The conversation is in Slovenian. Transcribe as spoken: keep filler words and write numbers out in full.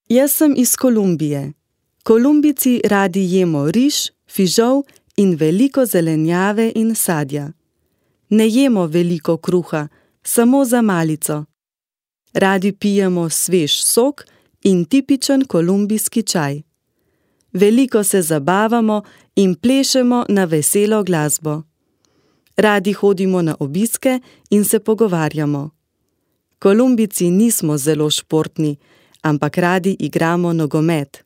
Jaz sem iz Kolumbije. Kolumbijci radi jemo riž, fižol in veliko zelenjave in sadja. Ne jemo veliko kruha, samo za malico. Radi pijemo svež sok in tipičen kolumbijski čaj. Veliko se zabavamo in plešemo na veselo glasbo. Radi hodimo na obiske in se pogovarjamo. Kolumbijci nismo zelo športni, ampak radi igramo nogomet.